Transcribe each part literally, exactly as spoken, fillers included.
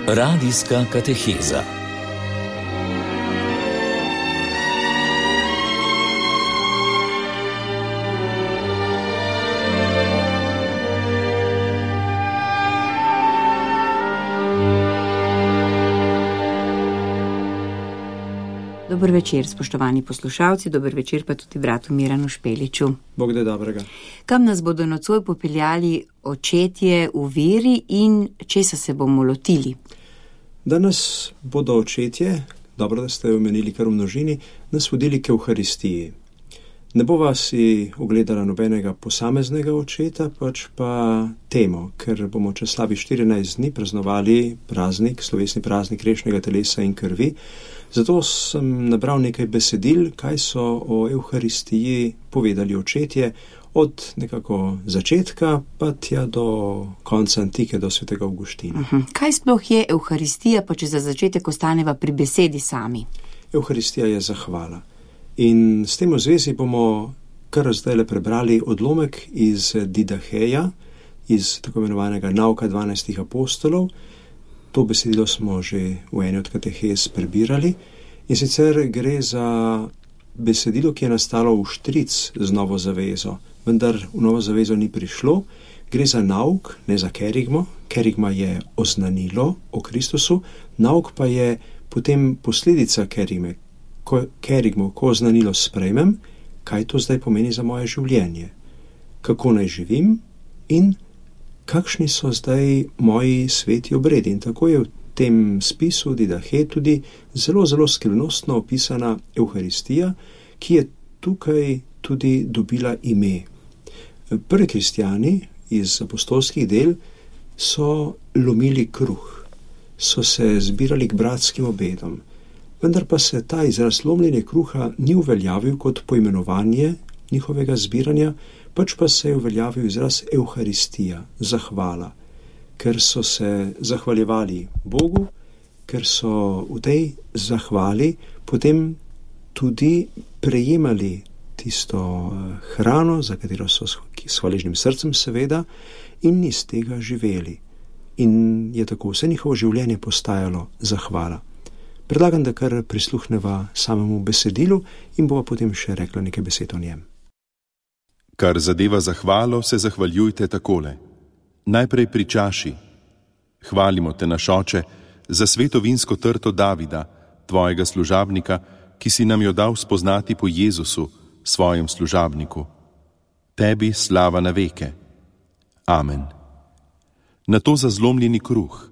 Radijska kateheza. Dober večer, spoštovani poslušalci, dober večer pa tudi bratu Miranu Špeliču. Bog da dobrega. Kam nas bodo nocoj popeljali očetje v veri in česa se bomo lotili? Danes bodo očetje, dobro da ste omenili kar v množini, nas vodili k Evharistiji. Ne bo vas si ogledala nobenega posameznega očeta, pač pa temo, ker bomo čez slabih štirinajst dni praznovali praznik, slovesni praznik grešnega telesa in krvi. Zato sem nabral nekaj besedil, kaj so o Evharistiji povedali očetje, od nekako začetka pa tja do konca antike, do svetega Avguština. Uh-huh. Kaj sploh je Evharistija, pa če za začetek ostaneva pri besedi sami? Evharistija je zahvala. In s tem v zvezi bomo kar zdajle prebrali odlomek iz Didaheja, iz tako imenovanega nauka dvanajstih apostolov. To besedilo smo že v eni od katehez prebirali. In sicer gre za besedilo, ki je nastalo v štric z novo zavezo, vendar v novo zavezo ni prišlo. Gre za nauk, ne za kerigmo. Kerigma je oznanilo o Kristusu, nauk pa je potem posledica kerigme. Ko kerigmo, ko oznanilo sprejmem, kaj to zdaj pomeni za moje življenje, kako naj živim in kakšni so zdaj moji sveti obredi. In tako je v tem spisu Didahe tudi zelo, zelo skrivnostno opisana Evharistija, ki je tukaj tudi dobila ime. Prvi kristjani iz apostolskih del so lomili kruh, so se zbirali k bratskim obedom, vendar pa se ta izraz lomljenje kruha ni uveljavil kot poimenovanje njihovega zbiranja, pač pa se je uveljavil izraz Evharistija, zahvala, ker so se zahvaljevali Bogu, ker so v tej zahvali potem tudi prejemali tisto hrano, za katero so s hvaležnim srcem seveda, in iz tega živeli. In je tako vse njihovo življenje postajalo zahvala. Predlagam, da kar prisluhneva samemu besedilu in bova potem še rekla nekaj besed o njem. Kar zadeva zahvalo, se zahvaljujte takole. Najprej pri čaši. Hvalimo te, naš Oče, za sveto vinsko trto Davida, tvojega služabnika, ki si nam jo dal spoznati po Jezusu, svojem služabniku. Tebi slava na veke. Amen. Na to za zlomljeni kruh.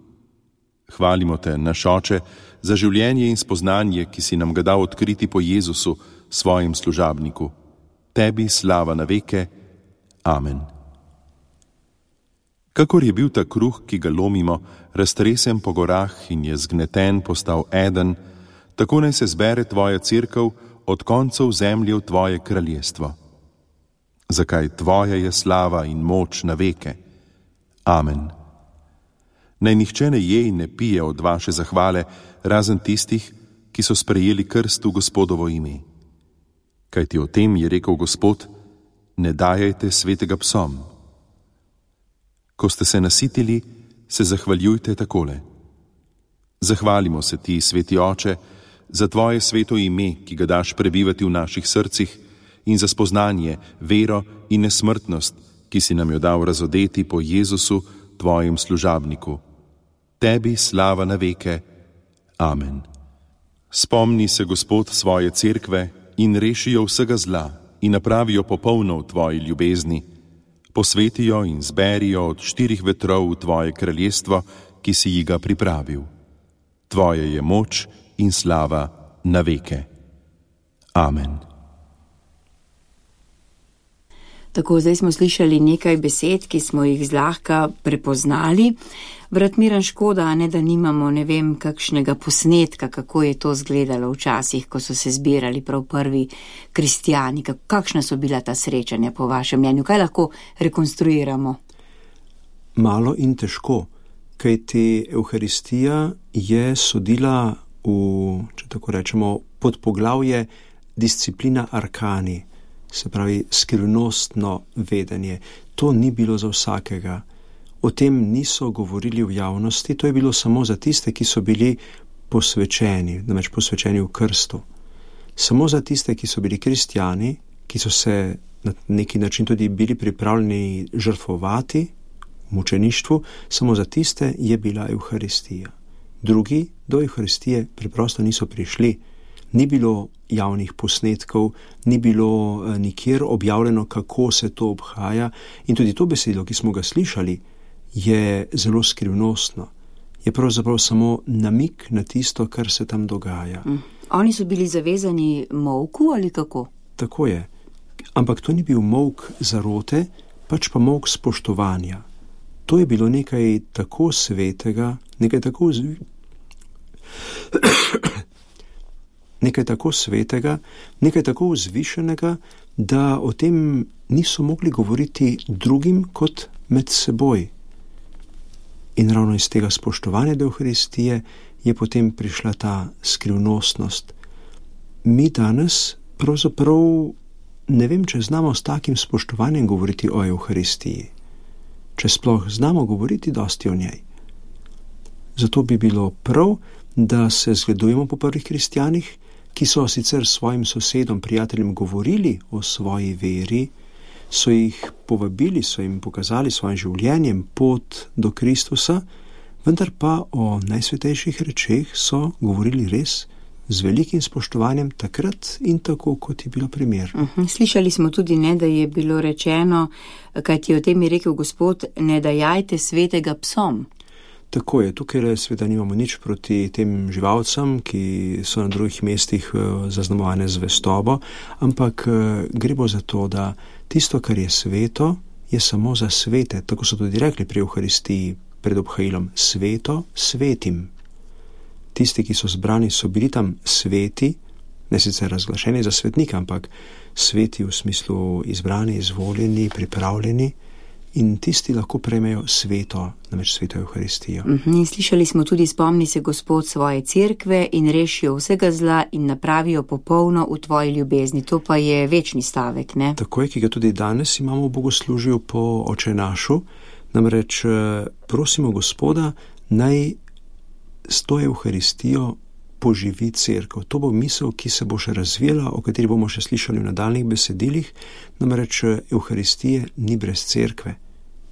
Hvalimo te, naš Oče, za življenje in spoznanje, ki si nam ga dal odkriti po Jezusu, svojem služabniku. Tebi slava na veke. Amen. Kakor je bil ta kruh, ki ga lomimo, raztresen po gorah in je zgneten postal eden, tako naj se zbere tvoja cerkev od koncev zemlje v tvoje kraljestvo. Zakaj tvoja je slava in moč na veke. Amen. Naj nihče ne je in ne pije od vaše zahvale, razen tistih, ki so sprejeli krst v Gospodovo ime. Kajti o tem je rekel Gospod, ne dajajte svetega psom. Ko ste se nasitili, se zahvaljujte takole. Zahvalimo se ti, sveti Oče, za tvoje sveto ime, ki ga daš prebivati v naših srcih, in za spoznanje, vero in nesmrtnost, ki si nam jo dal razodeti po Jezusu, tvojem služabniku. Tebi slava na veke. Amen. Spomni se, Gospod, svoje cerkve in reši jo vsega zla in napravi jo popolno v tvoji ljubezni. Posveti jo in zberi jo od štirih vetrov v tvoje kraljestvo, ki si ji ga pripravil. Tvoje je moč in slava na veke. Amen. Tako, zdaj smo slišali nekaj besed, ki smo jih zlahka prepoznali. Brat Miran, škoda, ne, da nimamo, ne vem, kakšnega posnetka, kako je to izgledalo včasih, ko so se zbirali prav prvi kristjani. Kakšna so bila ta srečanja po vašem mnenju? Kaj lahko rekonstruiramo? Malo in težko, kajti Evharistija je sodila v, če tako rečemo, podpoglavje disciplina arkani, se pravi skrivnostno vedenje. To ni bilo za vsakega. o tem niso govorili v javnosti, to je bilo samo za tiste, ki so bili posvečeni, namreč posvečeni v krstu. Samo za tiste, ki so bili kristjani, ki so se na neki način tudi bili pripravljeni žrtvovati v mučeništvu, samo za tiste je bila Evharistija. Drugi do Evharistije preprosto niso prišli. Ni bilo javnih posnetkov, ni bilo nikjer objavljeno, kako se to obhaja, in tudi to besedilo, ki smo ga slišali, je zelo skrivnostno. Je pravzaprav samo namig na tisto, kar se tam dogaja. Mm. Oni so bili zavezani molku ali kako? Tako je. Ampak to ni bil molk zarote, pač pa molk spoštovanja. To je bilo nekaj tako svetega, nekaj tako zvi... nekaj tako svetega, nekaj tako vzvišenega, da o tem niso mogli govoriti drugim kot med seboj. In ravno iz tega spoštovanja do Evharistije je potem prišla ta skrivnostnost. Mi danes pravzaprav ne vem, če znamo s takim spoštovanjem govoriti o Evharistiji. Če sploh znamo govoriti dosti o njej. Zato bi bilo prav, da se zgledujemo po prvih kristjanih, ki so sicer svojim sosedom, prijateljem govorili o svoji veri, so jih povabili, so jim pokazali svojim življenjem pot do Kristusa, vendar pa o najsvetejših rečeh so govorili res z velikim spoštovanjem takrat in tako, kot je bilo primer. Uh-huh. Slišali smo tudi, ne, da je bilo rečeno, kaj ti o tem je rekel Gospod, ne dajajte svetega psom. Tako je, tukaj seveda nimamo nič proti tem živalcem, ki so na drugih mestih zaznamovane z zvestobo, ampak gre bo za to, da tisto, kar je sveto, je samo za svete. Tako so tudi rekli pri Evharistiji pred obhajilom, sveto svetim. Tisti, ki so zbrani, so bili tam sveti, ne sicer razglašeni za svetnika, ampak sveti v smislu izbrani, izvoljeni, pripravljeni, in tisti lahko prejmejo sveto, namreč sveto Evharistijo. In slišali smo tudi, spomni se Gospod svoje cerkve in rešijo vsega zla in napravijo popolno v tvoji ljubezni. To pa je večni stavek, ne? Tako je, ki ga tudi danes imamo v bogoslužju po Oče našu, namreč prosimo Gospoda, naj s to Evharistijo poživi cerkev. To bo misel, ki se bo še razvijala, o kateri bomo še slišali v nadaljnih besedilih, namreč Evharistije ni brez cerkve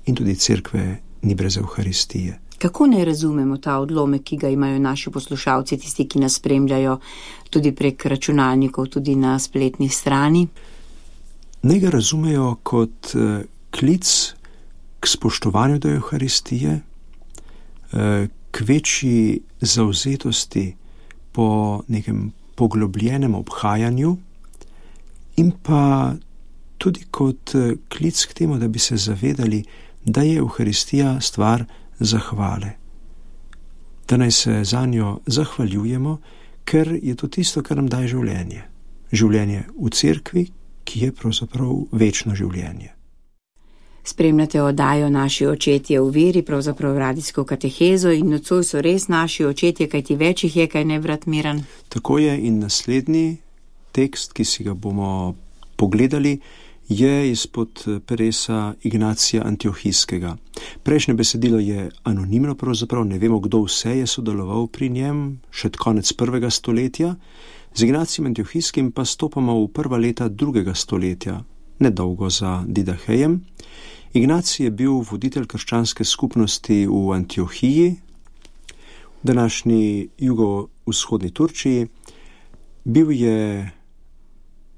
in tudi cerkve ni brez Evharistije. Kako ne razumemo ta odlomek, ki ga imajo naši poslušalci, tisti, ki nas spremljajo tudi prek računalnikov, tudi na spletni strani? Naj ga razumejo kot klic k spoštovanju do Evharistije, k večji zavzetosti po nekem poglobljenem obhajanju in pa tudi kot klic k temu, da bi se zavedali, da je Evharistija stvar zahvale. Da naj se za njo zahvaljujemo, ker je to tisto, kar nam daje življenje. Življenje v cerkvi, ki je pravzaprav večno življenje. Spremljate oddajo Naši očetje v veri, pravzaprav radijsko katehezo, in nocoj so res naši očetje, kaj ti več jih je, kaj ne, brat Miran? Tako je, in naslednji tekst, ki si ga bomo pogledali, je izpod peresa Ignacija Antiohijskega. Prejšnje besedilo je anonimno, pravzaprav ne vemo, kdo vse je sodeloval pri njem, še konec prvega stoletja. Z Ignacijem Antiohijskim pa stopamo v prva leta drugega stoletja, nedolgo za Didahejem. Ignacij je bil voditelj krščanske skupnosti v Antiohiji, v današnji jugovzhodni Turčiji. Bil je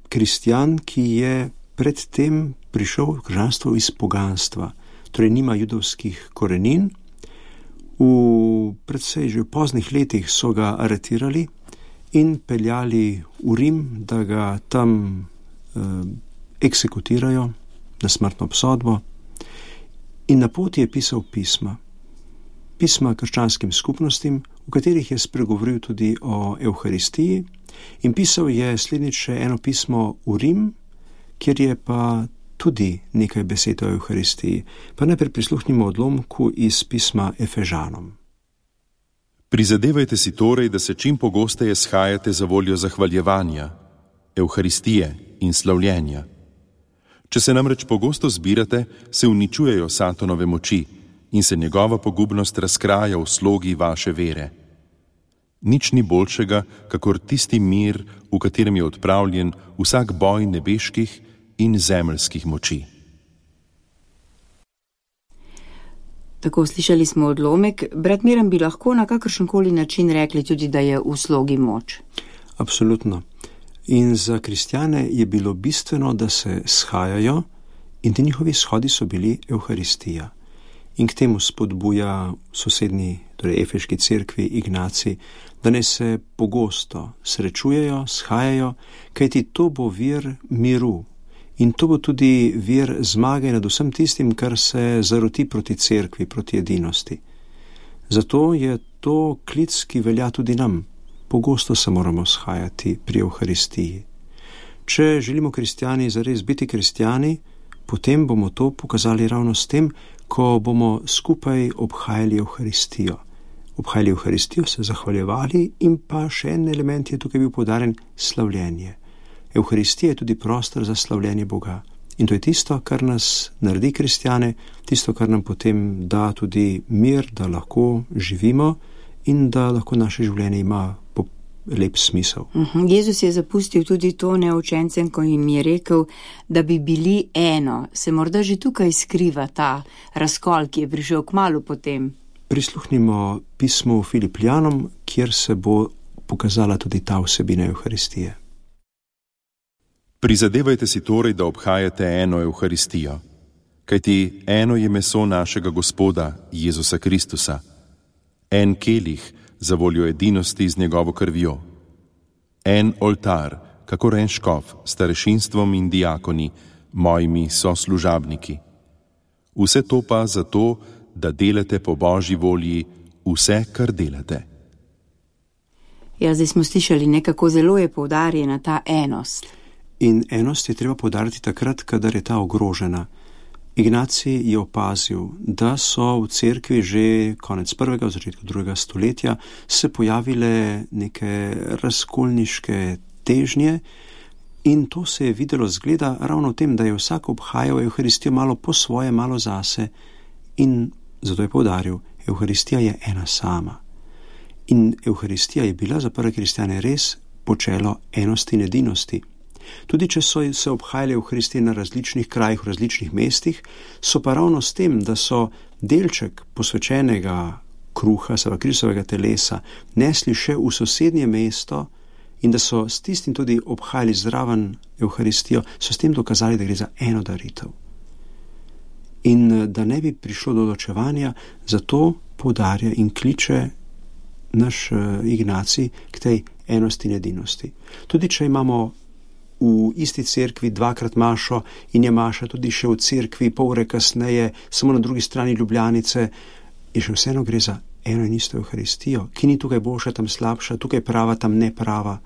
kristjan, ki je predtem prišel v krščanstvo iz poganstva, torej nima judovskih korenin. V precej že v poznih letih so ga aretirali in peljali v Rim, da ga tam eh, eksekutirajo na smrtno obsodbo. In na poti je pisal pisma. Pisma krščanskim skupnostim, v katerih je spregovoril tudi o Evharistiji, in pisal je slednjič še eno pismo v Rim, kjer je pa tudi nekaj besed o Evharistiji. Pa najprej prisluhnimo odlomku iz pisma Efežanom. Prizadevajte si torej, da se čim pogosteje shajate za voljo zahvaljevanja, Evharistije in slavljenja. Če se namreč pogosto zbirate, se uničujejo Satanove moči, in se njegova pogubnost razkraja v slogi vaše vere. Nič ni boljšega, kakor tisti mir, v katerem je odpravljen vsak boj nebeških in zemeljskih moči. Tako slišali smo odlomek. Brat Miran, bi lahko na kakršenkoli način rekli tudi, da je v slogi moč? Absolutno. In za kristjane je bilo bistveno, da se shajajo, in ti njihovi shodi so bili Evharistija. In k temu spodbuja sosednji, torej efeški cerkvi Ignacij, da ne se pogosto srečujejo, shajajo, kajti to bo vir miru. In to bo tudi vir zmage nad vsem tistim, kar se zaroti proti cerkvi, proti edinosti. Zato je to klic, ki velja tudi nam. Pogosto se moramo shajati pri Evharistiji. Če želimo kristjani zares biti kristjani, potem bomo to pokazali ravno s tem, ko bomo skupaj obhajali Evharistijo. Obhajali Evharistijo, se zahvaljevali in pa še en element je tukaj bil poudarjen, slavljenje. Evharistija je tudi prostor za slavljenje Boga. In to je tisto, kar nas naredi kristjane, tisto, kar nam potem da tudi mir, da lahko živimo in da lahko naše življenje ima lep smisel. Uh-huh. Jezus je zapustil tudi to neučencem, ko jim je rekel, da bi bili eno. Se morda že tukaj skriva ta razkol, ki je prišel kmalu potem? Prisluhnimo pismu Filipljanom, kjer se bo pokazala tudi ta vsebina Evharistije. Prizadevajte si torej, da obhajate eno Evharistijo, kajti eno je meso našega Gospoda, Jezusa Kristusa, en kelih za voljo edinosti z njegovo krvjo, en oltar, kakor en škof, starešinstvom in diakoni, mojimi soslužabniki. Vse to pa zato, da delate po Božji volji vse, kar delate. Ja, zdaj smo slišali, nekako zelo je poudarjena ta enost. In enost je treba poudariti takrat, kadar je ta ogrožena. Ignacij je opazil, da so v cerkvi že konec prvega, v začetku drugega stoletja se pojavile neke razkolniške težnje in to se je videlo zgleda ravno v tem, da je vsak obhajal Evharistijo malo po svoje, malo zase in zato je poudaril, Evharistija je ena sama. In Evharistija je bila za prve kristjane res počelo enosti in edinosti. Tudi če so se obhajali Evharistije na različnih krajih, v različnih mestih, so pa ravno s tem, da so delček posvečenega kruha, seva Kristovega telesa, nesli še v sosednje mesto in da so s tistim tudi obhajali zraven Evharistijo, so s tem dokazali, da gre za eno daritev. In da ne bi prišlo do ločevanja, zato poudarja in kliče naš Ignacij k tej enosti in edinosti. Tudi če imamo v isti cerkvi dvakrat mašo in je maša tudi še v cerkvi pol ure kasneje, samo na drugi strani Ljubljanice, je še vseeno gre za eno in isto Evharistijo, ki ni tukaj boljša, tam slabša, tukaj prava, tam ne prava.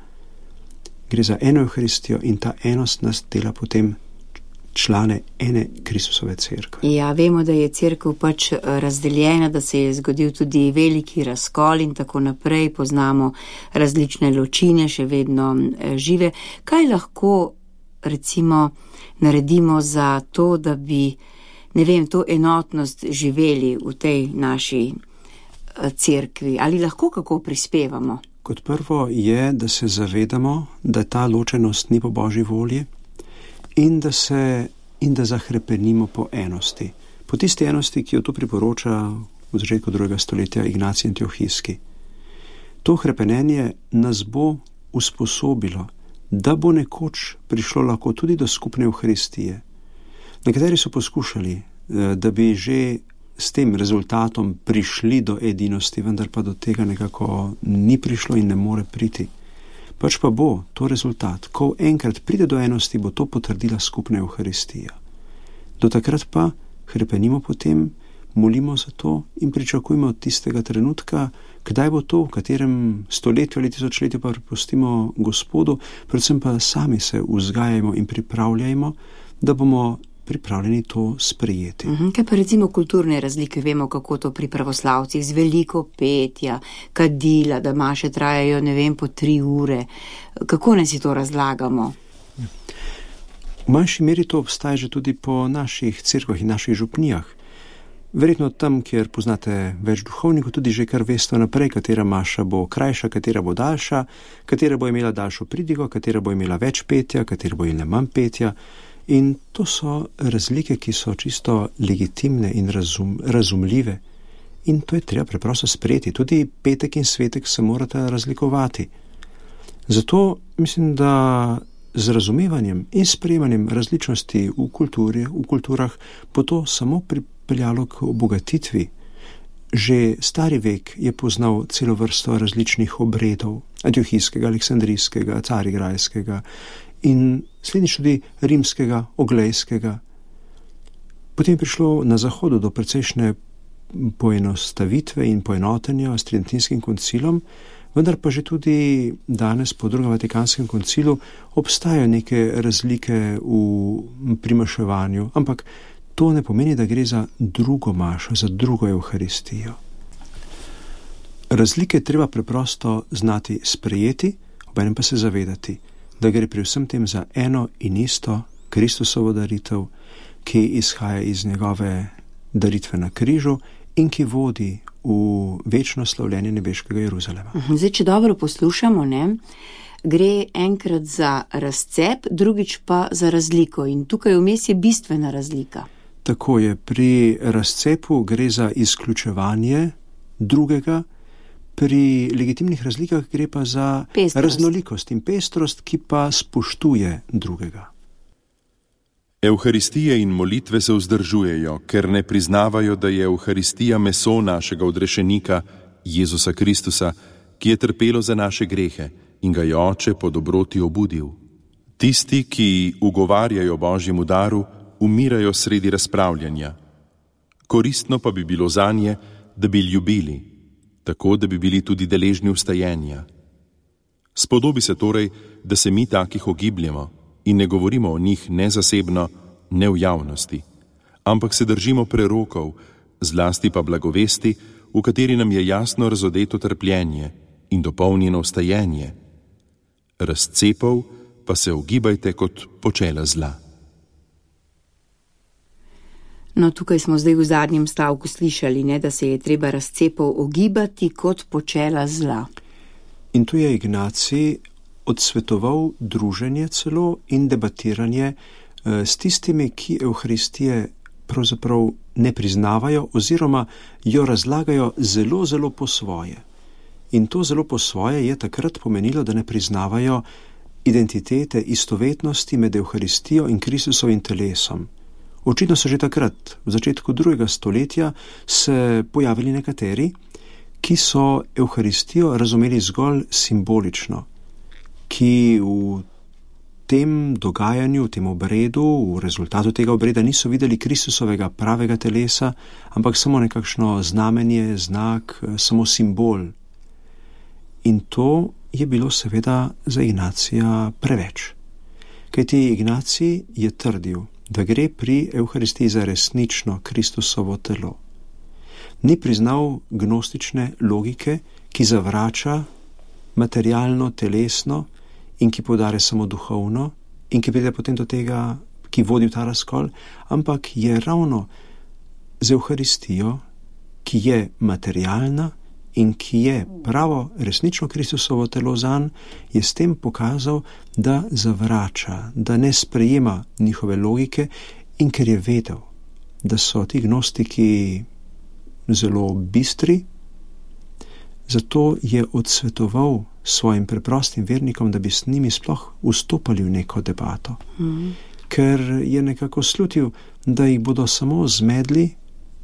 Gre za eno Evharistijo in ta enost nas dela potem člane ene Kristusove cerkve. Ja, vemo, da je cerkev pač razdeljena, da se je zgodil tudi veliki razkol in tako naprej, poznamo različne ločine, še vedno žive. Kaj lahko, recimo, naredimo za to, da bi, ne vem, to enotnost živeli v tej naši cerkvi? Ali lahko kako prispevamo? Kot prvo je, da se zavedamo, da ta ločenost ni po Božji volji, in da se in da zahrepenimo po enosti. Po tisti enosti, ki jo tu priporoča v začetku drugega stoletja Ignacij Antiohijski. To hrepenenje nas bo usposobilo, da bo nekoč prišlo lahko tudi do skupne Evharistije. Nekateri so poskušali, da bi že s tem rezultatom prišli do edinosti, vendar pa do tega nekako ni prišlo in ne more priti. Pač pa bo to rezultat. Ko enkrat pride do enosti, bo to potrdila skupna Evharistija. Do takrat pa hrepenimo potem, molimo za to in pričakujemo od tistega trenutka, kdaj bo to, v katerem stoletju ali tisočletju pa prepustimo Gospodu, predvsem pa sami se vzgajajmo in pripravljajmo, da bomo pripravljeni to sprejeti. Uhum, kaj pa recimo kulturne razlike? Vemo, kako to pri pravoslavcih z veliko petja, kadila, da maše trajajo, ne vem, po tri ure. Kako ne si to razlagamo? V manjši meri to obstaja že tudi po naših cerkvah in naših župnijah. Verjetno tam, kjer poznate več duhovnikov, tudi že kar veste naprej, katera maša bo krajša, katera bo daljša, katera bo imela daljšo pridigo, katera bo imela več petja, katera bo imela manj petja. In to so razlike, ki so čisto legitimne in razum, razumljive. In to je treba preprosto sprejeti. Tudi petek in svetek se morata razlikovati. Zato mislim, da z razumevanjem in sprejemanjem različnosti v kulturi, v kulturah, bo to samo pripeljalo k obogatitvi. Že stari vek je poznal celo vrsto različnih obredov, antiohijskega, aleksandrijskega, carigrajskega in slednjič tudi rimskega, oglejskega. Potem je prišlo na zahodu do precejšnje poenostavitve in poenotenja s Tridentinskim koncilom, vendar pa že tudi danes po drugem Vatikanskem koncilu obstajajo neke razlike v primaševanju, ampak to ne pomeni, da gre za drugo mašo, za drugo Evharistijo. Razlike treba preprosto znati sprejeti, obenem pa se zavedati, da gre pri vsem tem za eno in isto Kristusovo daritev, ki izhaja iz njegove daritve na križu in ki vodi v večno slavljenje nebeškega Jeruzalema. Zdaj, če dobro poslušamo, ne, gre enkrat za razcep, drugič pa za razliko in tukaj vmes je bistvena razlika. Tako je, pri razcepu gre za izključevanje drugega, pri legitimnih razlikah gre pa za pestrost. Raznolikost in pestrost, ki pa spoštuje drugega. Evharistije in molitve se vzdržujejo, ker ne priznavajo, da je Evharistija meso našega odrešenika, Jezusa Kristusa, ki je trpelo za naše grehe in ga je Oče po dobroti obudil. Tisti, ki ugovarjajo Božjemu daru, umirajo sredi razpravljanja. Koristno pa bi bilo zanje, da bi ljubili, tako da bi bili tudi deležni vstajenja. Spodobi se torej, da se mi takih ogibljamo in ne govorimo o njih ne zasebno, ne v javnosti, ampak se držimo prerokov, zlasti pa blagovesti, v kateri nam je jasno razodeto trpljenje in dopolnjeno vstajenje. Razcepov pa se ogibajte kot počela zla. No, tukaj smo zdaj v zadnjem stavku slišali, ne, da se je treba razcepov ogibati kot počela zla. In tu je Ignacij odsvetoval druženje celo in debatiranje eh, s tistimi, ki Evharistije pravzaprav ne priznavajo oziroma jo razlagajo zelo, zelo po svoje. In to zelo po svoje je takrat pomenilo, da ne priznavajo identitete, istovetnosti med Evharistijo in Kristusovim telesom. Očitno so že takrat, v začetku drugega stoletja, se pojavili nekateri, ki so Evharistijo razumeli zgolj simbolično, ki v tem dogajanju, v tem obredu, v rezultatu tega obreda niso videli Kristusovega pravega telesa, ampak samo nekakšno znamenje, znak, samo simbol. In to je bilo seveda za Ignacija preveč. Kajti Ignacij je trdil, da gre pri Evharistiji za resnično Kristusovo telo. Ni priznal gnostične logike, ki zavrača materialno, telesno in ki podare samo duhovno in ki pride potem do tega, ki vodi v ta razkol, ampak je ravno z Evharistijo, ki je materialna in ki je pravo resnično Kristusovo telo zanj, je s tem pokazal, da zavrača, da ne sprejema njihove logike in ker je vedel, da so ti gnostiki zelo bistri, zato je odsvetoval svojim preprostim vernikom, da bi s njimi sploh vstopali v neko debato. Mm. Ker je nekako slutil, da jih bodo samo zmedli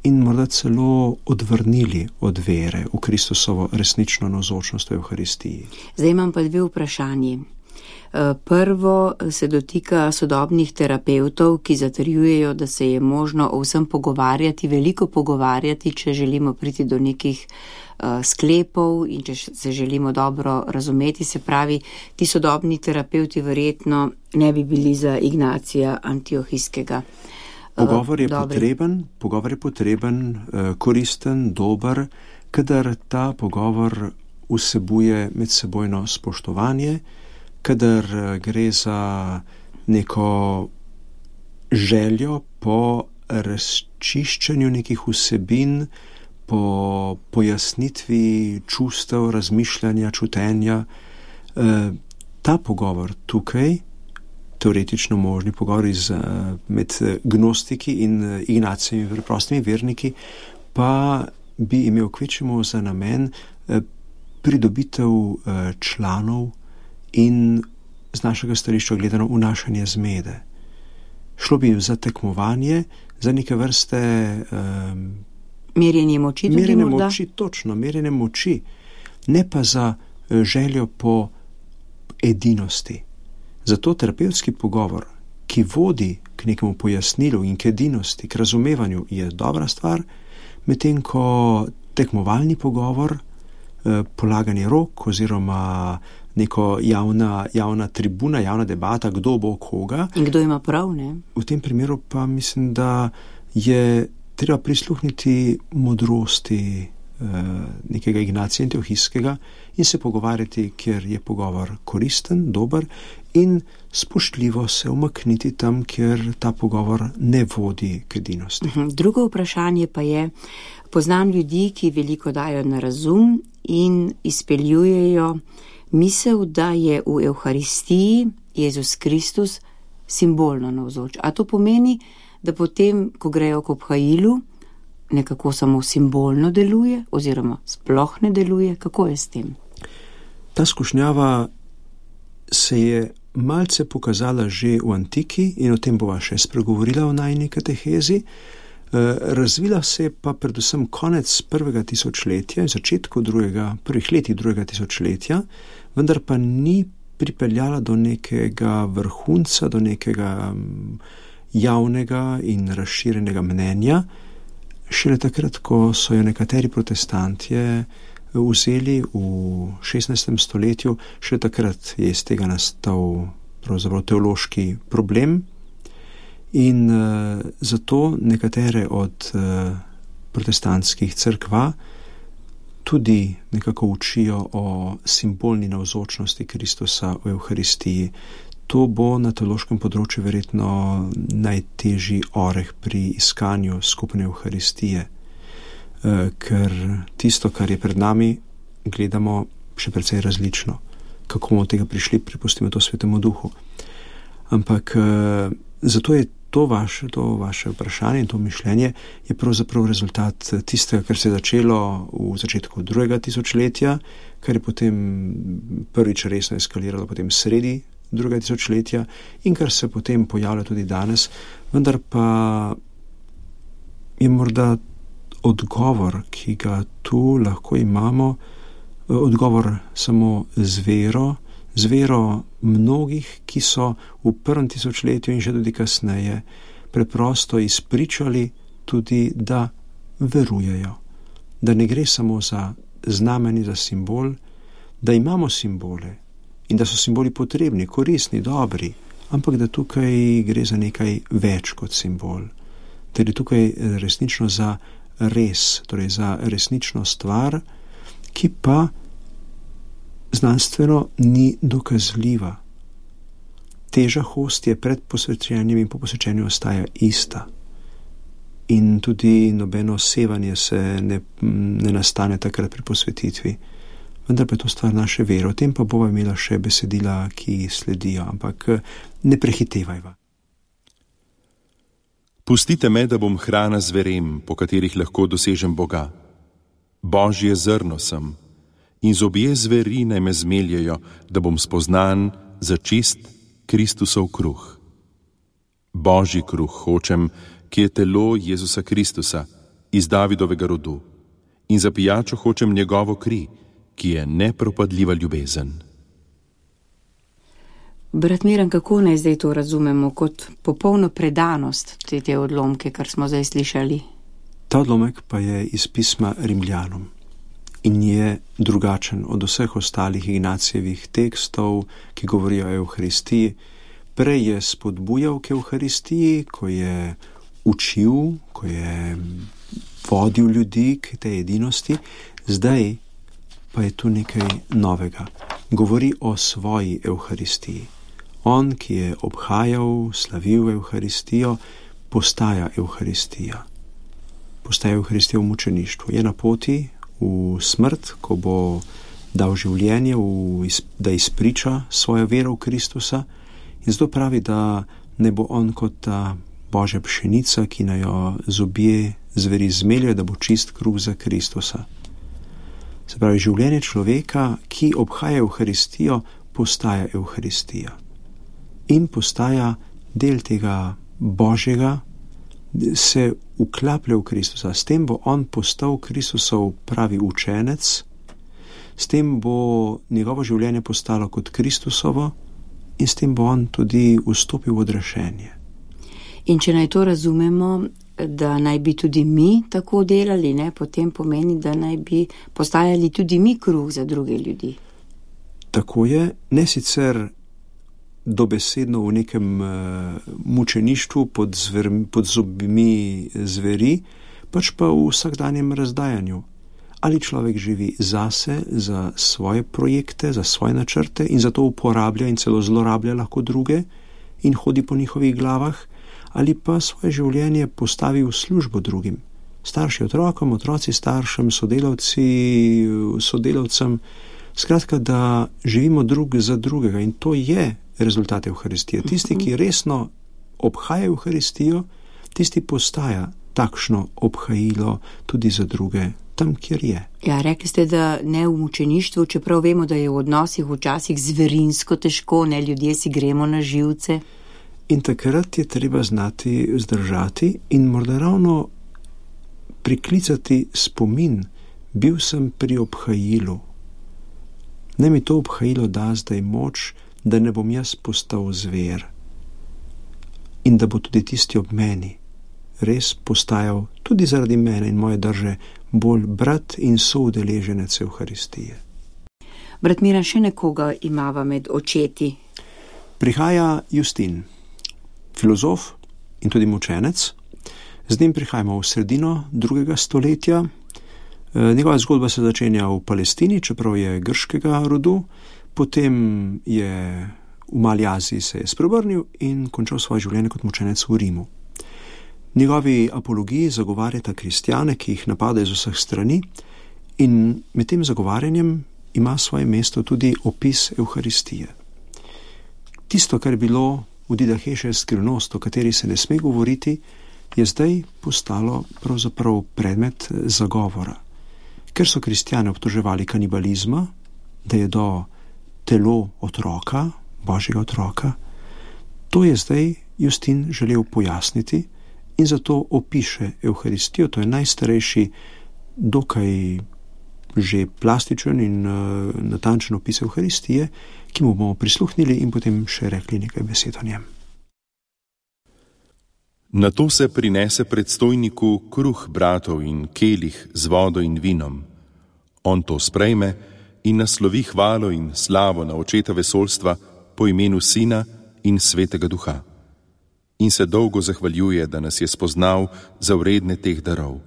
in morda celo odvrnili od vere v Kristusovo resnično navzočnost v Evharistiji. Zdaj imam pa dve vprašanji. Prvo se dotika sodobnih terapevtov, ki zatrjujejo, da se je možno o vsem pogovarjati, veliko pogovarjati, če želimo priti do nekih sklepov in če se želimo dobro razumeti. Se pravi, ti sodobni terapevti verjetno ne bi bili za Ignacija Antiohijskega. Pogovor je potreben, pogovor je potreben, koristen, dober, kadar ta pogovor vsebuje medsebojno spoštovanje, kadar gre za neko željo po razčiščenju nekih vsebin, po pojasnitvi čustev, razmišljanja, čutenja. Ta pogovor tukaj, teoretično možni pogovor iz, med gnostiki in Ignacijevimi preprostimi verniki, pa bi imel kvečemu za namen pridobitev članov in z našega stališča gledano vnašanje zmede. Šlo bi za tekmovanje, za neke vrste um, merjenje moči, tudi merjenje morda? moči, točno, merjenje moči, ne pa za željo po edinosti. Zato terapevtski pogovor, ki vodi k nekemu pojasnilu in k edinosti, k razumevanju, je dobra stvar, medtem ko tekmovalni pogovor, polaganje rok oziroma neko javna, javna tribuna, javna debata, kdo bo koga. In kdo ima prav, ne? V tem primeru pa mislim, da je treba prisluhniti modrosti eh, nekega Ignacija Antiohijskega in se pogovarjati, kjer je pogovor koristen, dober, in spoštljivo se umakniti tam, kjer ta pogovor ne vodi k edinosti. Drugo vprašanje pa je, poznam ljudi, ki veliko dajo na razum in izpeljujejo misel, da je v Evharistiji Jezus Kristus simbolno navzoč. A to pomeni, da potem, ko grejo k obhajilu, nekako samo simbolno deluje oziroma sploh ne deluje? Kako je s tem? Ta skušnjava se je malce pokazala že v antiki in o tem bova še spregovorila v najini katehezi. Razvila se je pa predvsem konec prvega tisočletja in začetku drugega, prvih letih drugega tisočletja, vendar pa ni pripeljala do nekega vrhunca, do nekega javnega in razširjenega mnenja. Šele takrat, ko so jo nekateri protestantje vzeli v šestnajstem stoletju, šele takrat je iz tega nastal pravzaprav teološki problem. In uh, zato nekatere od uh, protestantskih cerkva tudi nekako učijo o simbolni navzočnosti Kristusa v Evharistiji. To bo na teološkem področju verjetno najtežji oreh pri iskanju skupne Evharistije, uh, ker tisto, kar je pred nami, gledamo še precej različno. Kako bomo od tega prišli, prepustimo to Svetemu Duhu. Ampak uh, zato je To vaše, to vaše vprašanje in to mišljenje je pravzaprav rezultat tistega, kar se je začelo v začetku drugega tisočletja, kar je potem prvič resno eskaliralo potem sredi drugega tisočletja in kar se potem pojavlja tudi danes, vendar pa je morda odgovor, ki ga tu lahko imamo, odgovor samo z vero, z vero mnogih, ki so v prvem tisočletju in že tudi kasneje preprosto izpričali tudi, da verujejo, da ne gre samo za znamenje, za simbol, da imamo simbole in da so simboli potrebni, koristni, dobri, ampak da tukaj gre za nekaj več kot simbol, da je tukaj resnično za res, torej za resnično stvar, ki pa znanstveno ni dokazljiva. Teža hostije pred posvečenjem in po posvečenju ostaja ista. In tudi nobeno sevanje se ne, ne nastane takrat pri posvetitvi. Vendar pa je to stvar naše vere. O tem pa bova imela še besedila, ki sledijo, ampak ne prehitevajva. Pustite me, da bom hrana zverem, po katerih lahko dosežem Boga. Božje zrno sem. In zobje zveri naj me zmeljejo, da bom spoznan za čist Kristusov kruh. Božji kruh hočem, ki je telo Jezusa Kristusa iz Davidovega rodu, in za pijačo hočem njegovo kri, ki je nepropadljiva ljubezen. Brat Miran, kako naj zdaj to razumemo kot popolno predanost te, te odlomke, kar smo zdaj slišali? Ta odlomek pa je iz pisma Rimljanom in je drugačen od vseh ostalih Ignacijevih tekstov, ki govorijo o Evharistiji. Prej je spodbujal k Evharistiji, ko je učil, ko je vodil ljudi k tej edinosti, zdaj pa je tu nekaj novega. Govori o svoji Evharistiji. On, ki je obhajal, slavil Evharistijo, postaja Evharistija. Postaja Evharistija v mučeništvu. Je na poti v smrt, ko bo dal življenje, v, da izpriča svojo vero v Kristusa, in zato pravi, da ne bo on kot ta Božja pšenica, ki naj jo zobje zveri zmeljajo, da bo čist kruh za Kristusa. Se pravi, življenje človeka, ki obhaja Evharistijo, postaja Evharistija in postaja del tega Božjega, se vklaplja v Kristusa. S tem bo on postal Kristusov pravi učenec, s tem bo njegovo življenje postalo kot Kristusovo in s tem bo on tudi vstopil v odrešenje. In če naj to razumemo, da naj bi tudi mi tako delali, ne, potem pomeni, da naj bi postajali tudi mi kruh za druge ljudi. Tako je, ne sicer dobesedno v nekem uh, mučeništvu pod, zver, pod zobmi zveri, pač pa v vsakdanjem razdajanju. Ali človek živi zase, za svoje projekte, za svoje načrte in zato uporablja in celo zlorablja lahko druge in hodi po njihovih glavah, ali pa svoje življenje postavi v službo drugim. Starši otrokom, otroci staršem, sodelavci sodelavcem. Skratka, da živimo drug za drugega in to je rezultat Evharistije. Tisti, ki resno obhaja Evharistijo, tisti postaja takšno obhajilo tudi za druge, tam, kjer je. Ja, rekli ste, da ne v mučeništvu, čeprav vemo, da je v odnosih včasih zverinsko težko, ne, ljudje si gremo na živce. In takrat je treba znati zdržati in morda ravno priklicati spomin, bil sem pri obhajilu. Ne mi to obhajilo da zdaj moč, da ne bom jaz postal zver in da bo tudi tisti ob meni res postajal tudi zaradi mene in moje drže bolj brat in soudeleženec Evharistije. Brat Miran, še nekoga imava med očeti? Prihaja Justin, filozof in tudi mučenec. Z njim prihajamo v sredino drugega stoletja. Njegova zgodba se začenja v Palestini, čeprav je grškega rodu, potem je v Mali Aziji se je spreobrnil in končal svoje življenje kot mučenec v Rimu. Njegovi apologiji zagovarjata kristjane, ki jih napadajo z vseh strani, in med tem zagovarjanjem ima svoje mesto tudi opis Evharistije. Tisto, kar je bilo v Didaheje skrivnost, o kateri se ne sme govoriti, je zdaj postalo pravzaprav predmet zagovora. Ker so kristjane obtoževali kanibalizma, da je do telo otroka, Božjega otroka, to je zdaj Justin želel pojasniti in zato opiše Evharistijo. To je najstarejši, dokaj že plastičen in uh, natančen opis Evharistije, ki mu bomo prisluhnili in potem še rekli nekaj besed o njem. Nato se prinese predstojniku kruh bratov in kelih z vodo in vinom. On to sprejme in naslovi hvalo in slavo na očeta vesoljstva po imenu Sina in Svetega Duha. In se dolgo zahvaljuje, da nas je spoznal za vredne teh darov.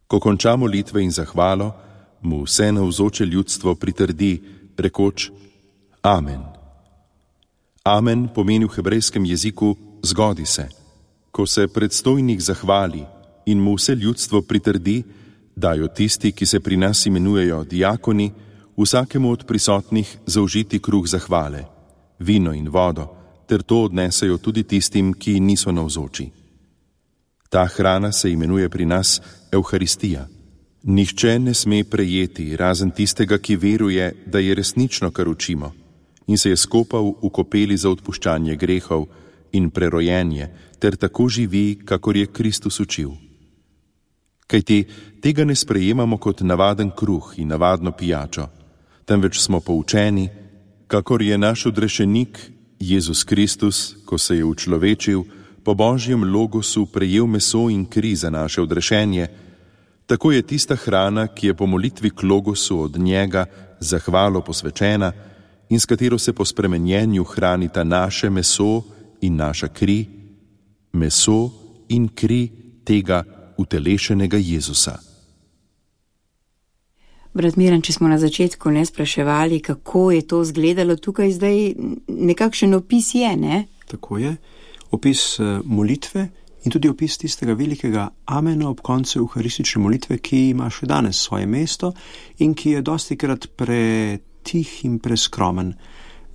Ko konča molitve in zahvalo, mu vse navzoče ljudstvo pritrdi, rekoč Amen. Amen pomeni v hebrejskem jeziku zgodi se. Ko se predstojnik zahvali in mu vse ljudstvo pritrdi, dajo tisti, ki se pri nas imenujejo diakoni, vsakemu od prisotnih zaužiti kruh zahvale, vino in vodo, ter to odnesejo tudi tistim, ki niso navzoči. Ta hrana se imenuje pri nas Evharistija. Nihče ne sme prejeti, razen tistega, ki veruje, da je resnično, kar učimo, in se je skopal v kopeli za odpuščanje grehov in prerojenje, ter tako živi, kakor je Kristus učil. Kajti tega ne sprejemamo kot navaden kruh in navadno pijačo, temveč smo poučeni, kakor je naš odrešenik, Jezus Kristus, ko se je učlovečil, po Božjem logosu prejel meso in kri za naše odrešenje, tako je tista hrana, ki je po molitvi k logosu od njega zahvalo posvečena in s katero se po spremenjenju hranita naše meso in naša kri, meso in kri tega utelešenega Jezusa. Brat Miran, če smo na začetku ne spraševali, kako je to izgledalo, tukaj zdaj nekakšen opis je, ne? Tako je. Opis molitve in tudi opis tistega velikega amena ob koncu evharistične molitve, ki ima še danes svoje mesto in ki je dostikrat pretih in preskromen.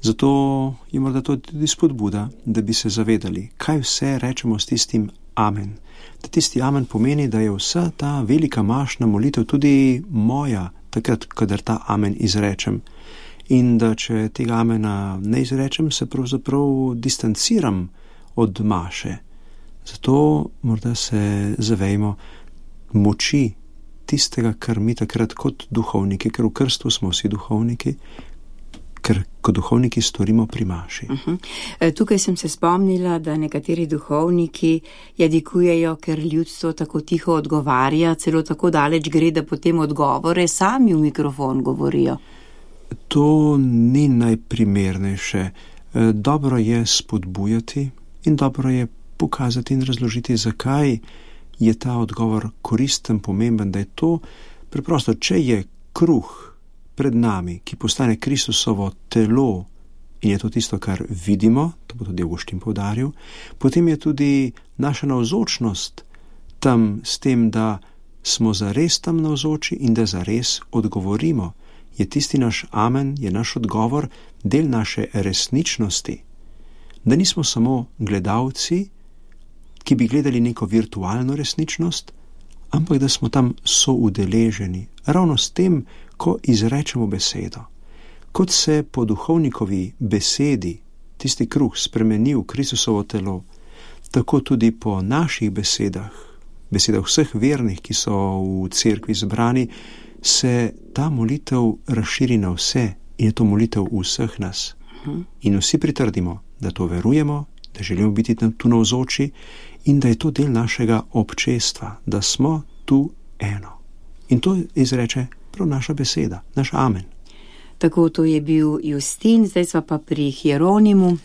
Zato je morda to tudi spodbuda, da bi se zavedali, kaj vse rečemo s tistim amen. Da tisti amen pomeni, da je vsa ta velika mašna molitev tudi moja, takrat, kadar ta amen izrečem. In da če tega amena ne izrečem, se pravzaprav distanciram od maše. Zato morda se zavejmo moči tistega, kar mi takrat kot duhovniki, ker v krstvu smo vsi duhovniki, ker kot duhovniki storimo pri maši. Uh-huh. Tukaj sem se spomnila, da nekateri duhovniki jadikujejo, ker ljudstvo tako tiho odgovarja, celo tako daleč gre, da potem odgovore sami v mikrofon govorijo. To ni najprimernejše. Dobro je spodbujati in dobro je pokazati in razložiti, zakaj je ta odgovor koristen, pomemben, da je to preprosto, če je kruh pred nami, ki postane Kristusovo telo in je to tisto, kar vidimo, to bo tudi Avguštin poudaril, potem je tudi naša navzočnost tam s tem, da smo zares tam navzoči in da zares odgovorimo. Je tisti naš amen, je naš odgovor del naše resničnosti. Da nismo samo gledalci, ki bi gledali neko virtualno resničnost, ampak da smo tam soudeleženi, ravno s tem, ko izrečemo besedo. Kot se po duhovnikovi besedi tisti kruh spremeni v Kristusovo telo, tako tudi po naših besedah, besedah vseh vernih, ki so v cerkvi zbrani, se ta molitev razširi na vse in je to molitev vseh nas. In vsi pritrdimo, da to verujemo, da želimo biti tam tu navzoči in da je to del našega občestva, da smo tu eno. In to izreče prav naša beseda, naš amen. Tako to je bil Justin, zdaj sva pa pri Hieronimu.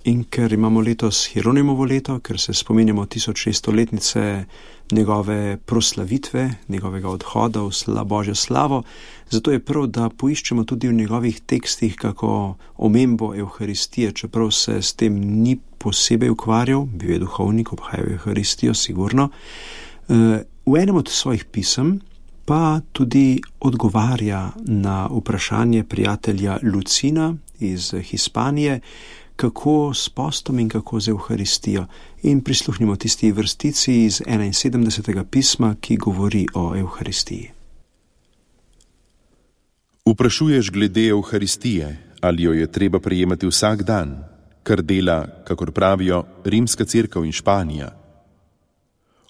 In ker imamo letos Hieronimovo leto, ker se spominjamo tisočšeststoletnice njegove proslavitve, njegovega odhoda v sla, Božjo slavo, zato je prav, da poiščemo tudi v njegovih tekstih kako omembo Evharistije, čeprav se s tem ni posebej ukvarjal, bil je duhovnik, obhajal Evharistijo, sigurno. V enem od svojih pisem pa tudi odgovarja na vprašanje prijatelja Lucina iz Hispanije, kako s postom in kako z Evharistijo. In prisluhnimo tisti vrstici iz enainsedemdesetega pisma, ki govori o Evharistiji. Vprašuješ glede Evharistije, ali jo je treba prejemati vsak dan, kar dela, kakor pravijo, Rimska cerkev in Španija.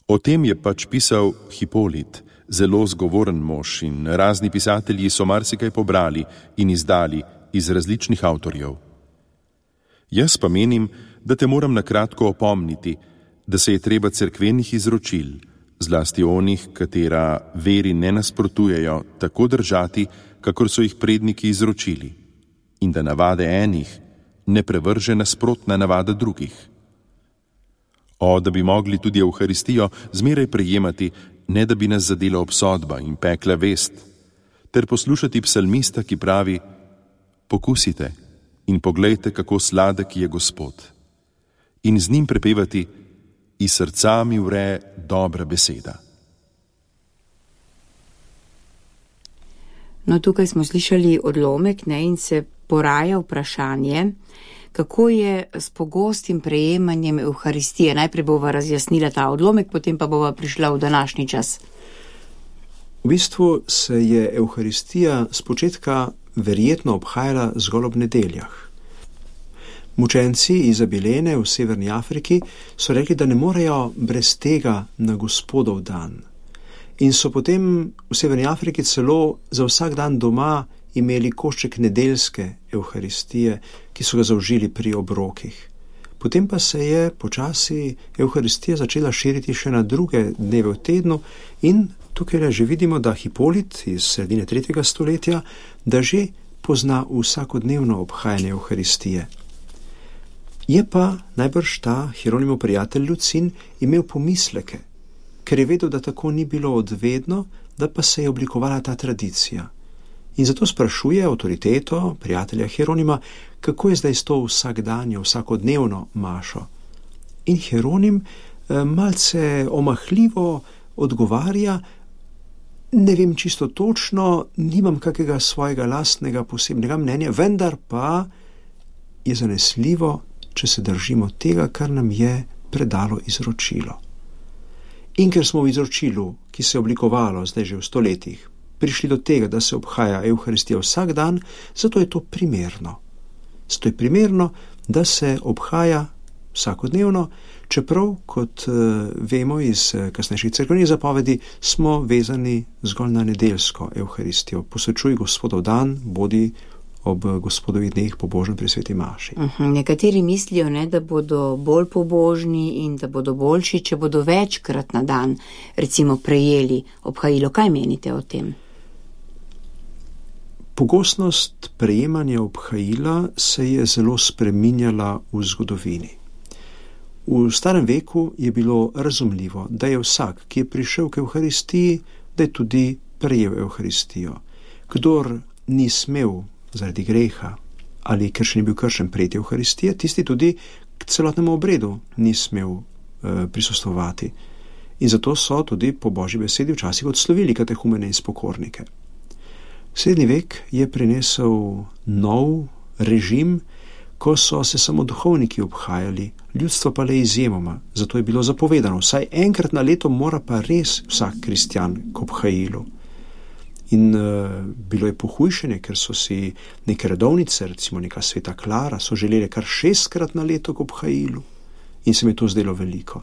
O tem je pač pisal Hipolit, zelo zgovoren mož, in razni pisatelji so marsikaj pobrali in izdali iz različnih avtorjev. Jaz pa menim, da te moram nakratko opomniti, da se je treba cerkvenih izročil, zlasti onih, katera veri ne nasprotujejo, tako držati, kakor so jih predniki izročili, in da navade enih ne prevrže nasprotna navada drugih. O, da bi mogli tudi Evharistijo zmeraj prejemati, ne da bi nas zadela obsodba in pekla vest, ter poslušati psalmista, ki pravi: pokusite in poglejte, kako sladek je Gospod, in z njim prepevati: iz srca mi vre dobra beseda. No, tukaj smo slišali odlomek, ne, in se poraja vprašanje, kako je s pogostim prejemanjem Evharistije. Najprej bova razjasnila ta odlomek, potem pa bova prišla v današnji čas. V bistvu se je Evharistija spočetka verjetno obhajala zgolj ob nedeljah. Mučenci iz Abilene v Severni Afriki so rekli, da ne morejo brez tega na Gospodov dan. In so potem v Severni Afriki celo za vsak dan doma imeli košček nedeljske Evharistije, ki so ga zaužili pri obrokih. Potem pa se je počasi Evharistija začela širiti še na druge dneve v tednu in tukaj že vidimo, da Hipolit iz sredine tretjega stoletja, da že pozna vsakodnevno obhajanje Evharistije. Je pa najbrž ta Hieronimov prijatelj Lucin imel pomisleke, ker je vedel, da tako ni bilo odvedno, da pa se je oblikovala ta tradicija. In zato sprašuje avtoriteto prijatelja Hieronima, kako je zdaj s to vsakdanjo, vsakodnevno mašo. In Hieronim malce omahljivo odgovarja, ne vem čisto točno, nimam kakega svojega lastnega posebnega mnenja, vendar pa je zanesljivo, če se držimo tega, kar nam je predalo izročilo. In ker smo v izročilu, ki se je oblikovalo zdaj že v stoletjih, prišli do tega, da se obhaja Evharistija vsak dan, zato je to primerno. Zato je primerno, da se obhaja vsakodnevno, čeprav, kot uh, vemo iz uh, kasnejših cerkvenih zapovedi, smo vezani zgolj na nedeljsko Evharistijo. Posvečuj Gospodov dan, bodi ob Gospodovih dneh pobožni pri sveti maši. Uh-huh. Nekateri mislijo, ne, da bodo bolj pobožni in da bodo boljši, če bodo večkrat na dan, recimo, prejeli obhajilo. Kaj menite o tem? Pogostnost prejemanja obhajila se je zelo spreminjala v zgodovini. V starem veku je bilo razumljivo, da je vsak, ki je prišel k Evharistiji, da je tudi prejel Evharistijo. Kdor ni smel zaradi greha ali ker še ni bil kršen prejeti Evharistije, tisti tudi k celotnemu obredu ni smel e, prisostvovati. In zato so tudi po Božji besedi včasih odslovili katehumene in spokornike. Srednji vek je prinesel nov režim, ko so se samo duhovniki obhajali, ljudstvo pa le izjemoma. Zato je bilo zapovedano, vsaj enkrat na leto mora pa res vsak kristjan k obhajilu. In uh, bilo je pohujšenje, ker so si neke redovnice, recimo neka sveta Klara, so želeli kar šestkrat na leto k obhajilu in se mi to zdelo veliko.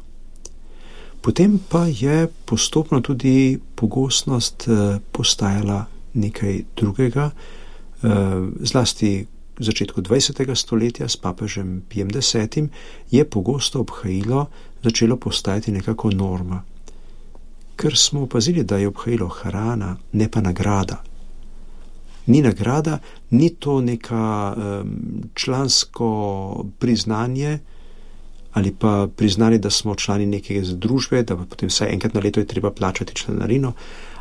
Potem pa je postopno tudi pogostnost uh, postajala nekaj drugega, uh, zlasti v začetku dvajsetega stoletja s papežem Pijem desetim je pogosto obhajilo začelo postajati nekako norma. Ker smo opazili, da je obhajilo hrana, ne pa nagrada. Ni nagrada, ni to neka um, člansko priznanje ali pa priznanje, da smo člani neke združbe, da pa potem vsaj enkrat na leto je treba plačati članarino,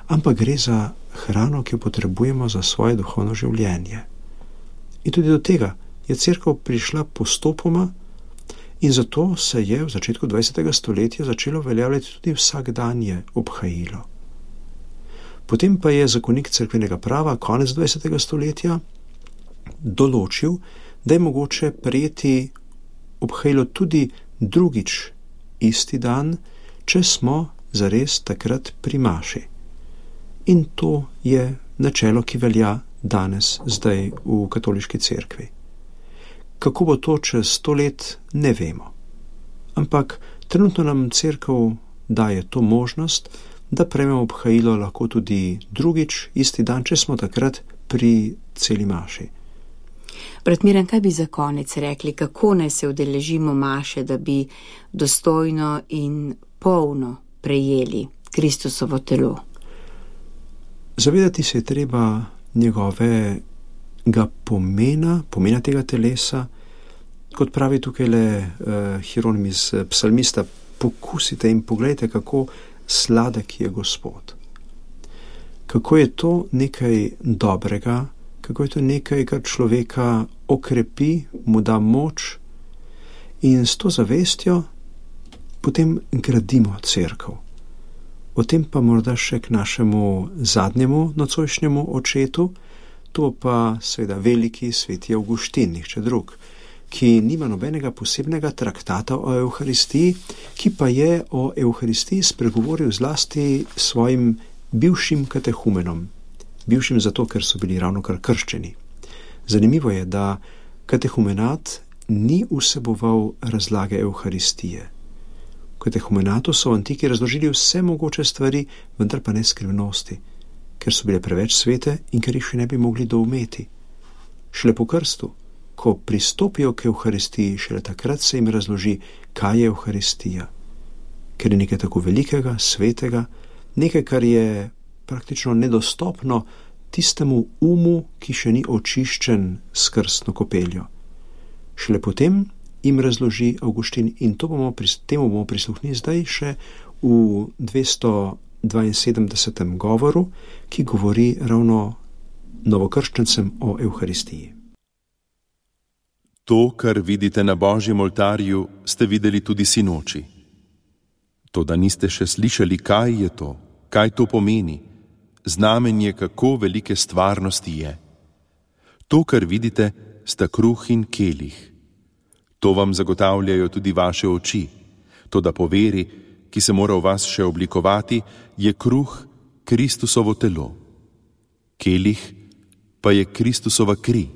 ampak gre za hrano, ki jo potrebujemo za svoje duhovno življenje. In tudi do tega je cerkev prišla postopoma in zato se je v začetku dvajsetega stoletja začelo veljavljati tudi vsakdanje obhajilo. Potem pa je zakonik cerkvenega prava konec dvajsetega stoletja določil, da je mogoče prejeti obhajilo tudi drugič isti dan, če smo zares takrat pri maši. In to je načelo, ki velja danes, zdaj v katoliški cerkvi. Kako bo to čez sto let, ne vemo. Ampak trenutno nam cerkev daje to možnost, da prejmemo obhajilo lahko tudi drugič, isti dan, če smo takrat pri celi maši. Brat Miran, kaj bi za konec rekli, kako naj se udeležimo maše, da bi dostojno in polno prejeli Kristusovo telo? Zavedati se je treba njegovega pomena, pomena tega telesa, kot pravi tukaj le uh, Hieronim iz psalmista, pokusite in pogledajte, kako sladek je Gospod. Kako je to nekaj dobrega, kako je to nekaj, kar človeka okrepi, mu da moč in s to zavestjo potem gradimo cerkev. O tem pa morda še k našemu zadnjemu nocojšnjemu očetu, to pa seveda veliki sveti Avguštin, nihče drug, ki nima nobenega posebnega traktata o Evharistiji, ki pa je o Evharistiji spregovoril zlasti svojim bivšim katehumenom, bivšim zato, ker so bili ravnokar krščeni. Zanimivo je, da katehumenat ni vseboval razlage Evharistije. V katehumenatu so v antiki razložili vse mogoče stvari, vendar pa ne skrivnosti, ker so bile preveč svete in ker jih še ne bi mogli doumeti. Šele po krstu, ko pristopijo k Evharistiji, šele takrat se jim razloži, kaj je Evharistija, ker je nekaj tako velikega, svetega, nekaj, kar je praktično nedostopno tistemu umu, ki še ni očiščen s krstno kopeljo. Šele potem jim razloži Avguštin in to bomo, temu bomo prisluhnili zdaj še v dvesto dvainsedemdesetem govoru, ki govori ravno novokrščencem o Evharistiji. To, kar vidite na Božjem oltarju, ste videli tudi sinoči. Toda niste še slišali, kaj je to, kaj to pomeni, znamenje, kako velike stvarnosti je. To, kar vidite, sta kruh in kelih. To vam zagotavljajo tudi vaše oči. Toda po veri, ki se mora v vas še oblikovati, je kruh Kristusovo telo. Kelih pa je Kristusova kri.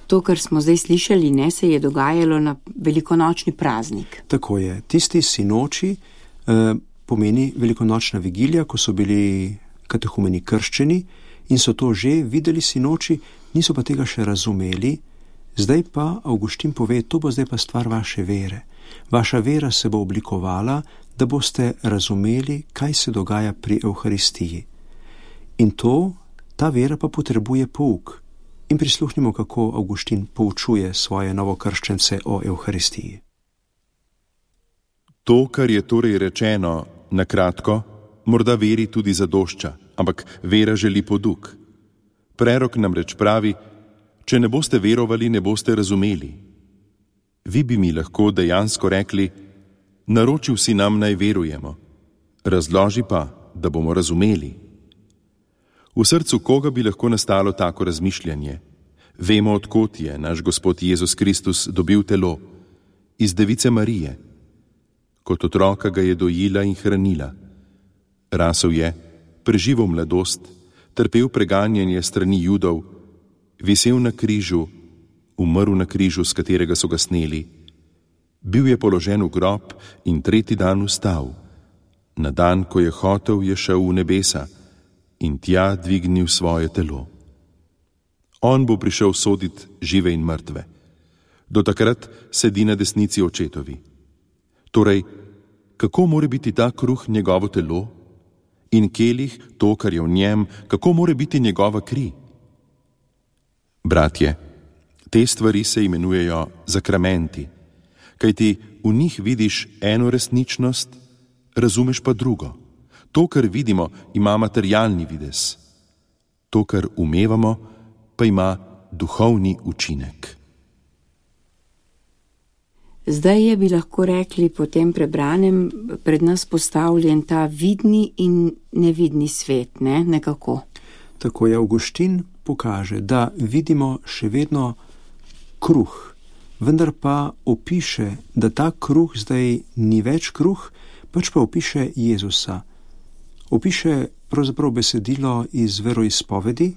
To, kar smo zdaj slišali, ne, se je dogajalo na velikonočni praznik. Tako je. Tisti sinoči eh, pomeni velikonočna vigilija, ko so bili katehumeni krščeni in so to že videli sinoči, niso pa tega še razumeli. Zdaj pa Avguštin pove, to bo zdaj pa stvar vaše vere. Vaša vera se bo oblikovala, da boste razumeli, kaj se dogaja pri Evharistiji. In to, ta vera pa potrebuje pouk. In prisluhnimo, kako Avguštin poučuje svoje novokrščence o Evharistiji. To, kar je torej rečeno, na kratko, morda veri tudi zadošča, ampak vera želi poduk. Prerok namreč pravi, če ne boste verovali, ne boste razumeli. Vi bi mi lahko dejansko rekli, naročil si nam, naj verujemo. Razloži pa, da bomo razumeli. V srcu koga bi lahko nastalo tako razmišljanje? Vemo, odkot je naš Gospod Jezus Kristus dobil telo, iz device Marije. Kot otroka ga je dojila in hranila. Rasel je, preživel mladost, trpel preganjanje strani Judov, visel na križu, umrl na križu, s katerega so ga sneli. Bil je položen v grob in tretji dan vstal. Na dan, ko je hotel, je šel v nebesa in tja dvignil svoje telo. On bo prišel soditi žive in mrtve. Do takrat sedi na desnici očetovi. Torej, kako more biti ta kruh njegovo telo? In kelih, to, kar je v njem, kako more biti njegova kri? Bratje, te stvari se imenujejo zakramenti, kajti v njih vidiš eno resničnost, razumeš pa drugo. To, kar vidimo, ima materialni videz. To, kar umevamo, pa ima duhovni učinek. Zdaj je, bi lahko rekli, po tem prebranem pred nas postavljen ta vidni in nevidni svet, ne? Nekako. Tako je Avguštin pokaže, da vidimo še vedno kruh, vendar pa opiše, da ta kruh zdaj ni več kruh, pač pa opiše Jezusa. Opiše pravzaprav besedilo iz veroizpovedi,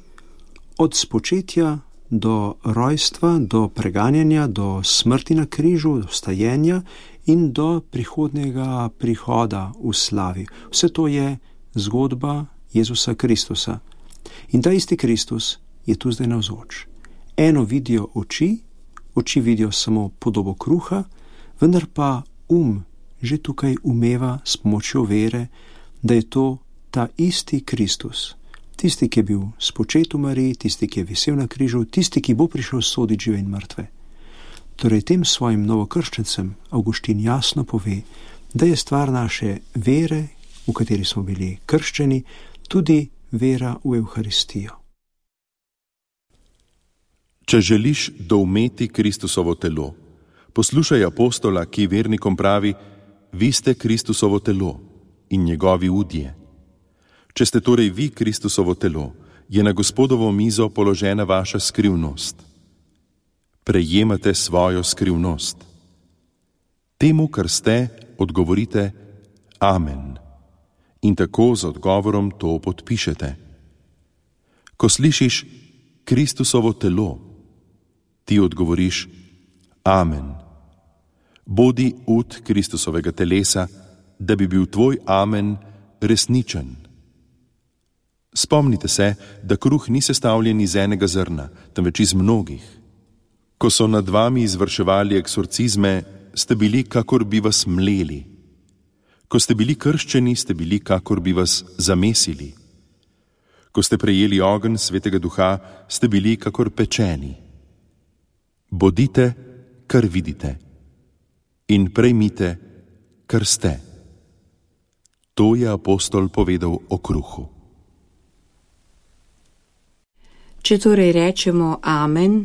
od spočetja do rojstva, do preganjanja, do smrti na križu, do vstajenja in do prihodnjega prihoda v slavi. Vse to je zgodba Jezusa Kristusa. In ta isti Kristus je tu zdaj navzoč. Eno vidijo oči, oči vidijo samo podobo kruha, vendar pa um že tukaj umeva s pomočjo vere, da je to ta isti Kristus, tisti, ki je bil spočet v Mariji, tisti, ki je visel na križu, tisti, ki bo prišel soditi žive in mrtve. Torej tem svojim novokrščencem Avguštin jasno pove, da je stvar naše vere, v kateri smo bili krščeni, tudi vera v Evharistijo. Če želiš doumeti Kristusovo telo, poslušaj apostola, ki vernikom pravi, vi ste Kristusovo telo in njegovi udje. Če ste torej vi Kristusovo telo, je na Gospodovo mizo položena vaša skrivnost. Prejemate svojo skrivnost. Temu, kar ste, odgovorite Amen. In tako z odgovorom to podpišete. Ko slišiš Kristusovo telo, ti odgovoriš Amen. Bodi ud Kristusovega telesa, da bi bil tvoj Amen resničen. Spomnite se, da kruh ni sestavljen iz enega zrna, temveč iz mnogih. Ko so nad vami izvrševali eksorcizme, ste bili, kakor bi vas mleli. Ko ste bili krščeni, ste bili, kakor bi vas zamesili. Ko ste prejeli ogenj Svetega Duha, ste bili, kakor pečeni. Bodite, kar vidite, in prejmite, kar ste. To je apostol povedal o kruhu. Če torej rečemo Amen